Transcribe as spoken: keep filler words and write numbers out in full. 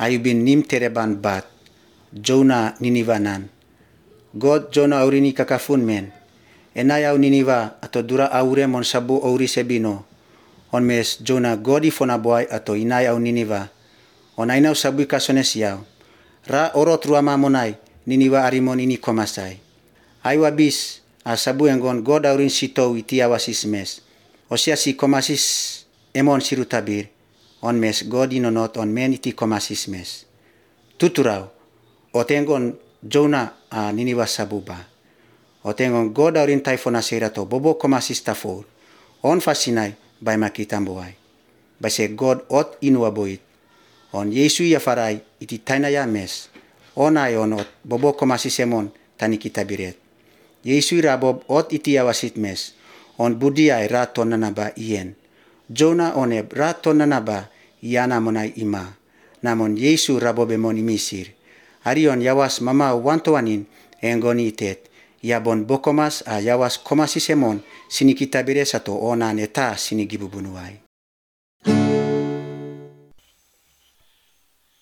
ayubin nim tereban bat, Jonah Ninivanan. God Jonah aurini kakafun men. Enayaw Niniva ato dura aure mon sabu auri sebino. On mes Jonah godi fonaboy ato inayaw Niniva. On ainaw sabu kasones yaw. Ra orot ruama monay Niniva arimon ini komasay. Aywa bis a sabu engon God aurin sitow iti awasis mes. Osia si komasis emon sirutabir. On mes God inonot on men iti komasis mes. Tuturaw. Otengon Jonah a Niniva sabuba. Otengon God aurin taifona serato bobo komasis tafor. On fasinay bay makitambuay. Base God ot inuaboit. On Yesu ya faray iti tainaya mes. On ay on ot bobo komasis emon tani kitabiret. Yesu rabob ot iti awasit mes. On budi ay raton nanaba ien. Jonah oneb raton nanaba iana monay ima. Namon Yesu rabob emon imisir. Arion yawas mama wantoanin engoni itet. Yabon bokomas a yawas komasisemon sini kitabire sato onan eta sini gibubunuay.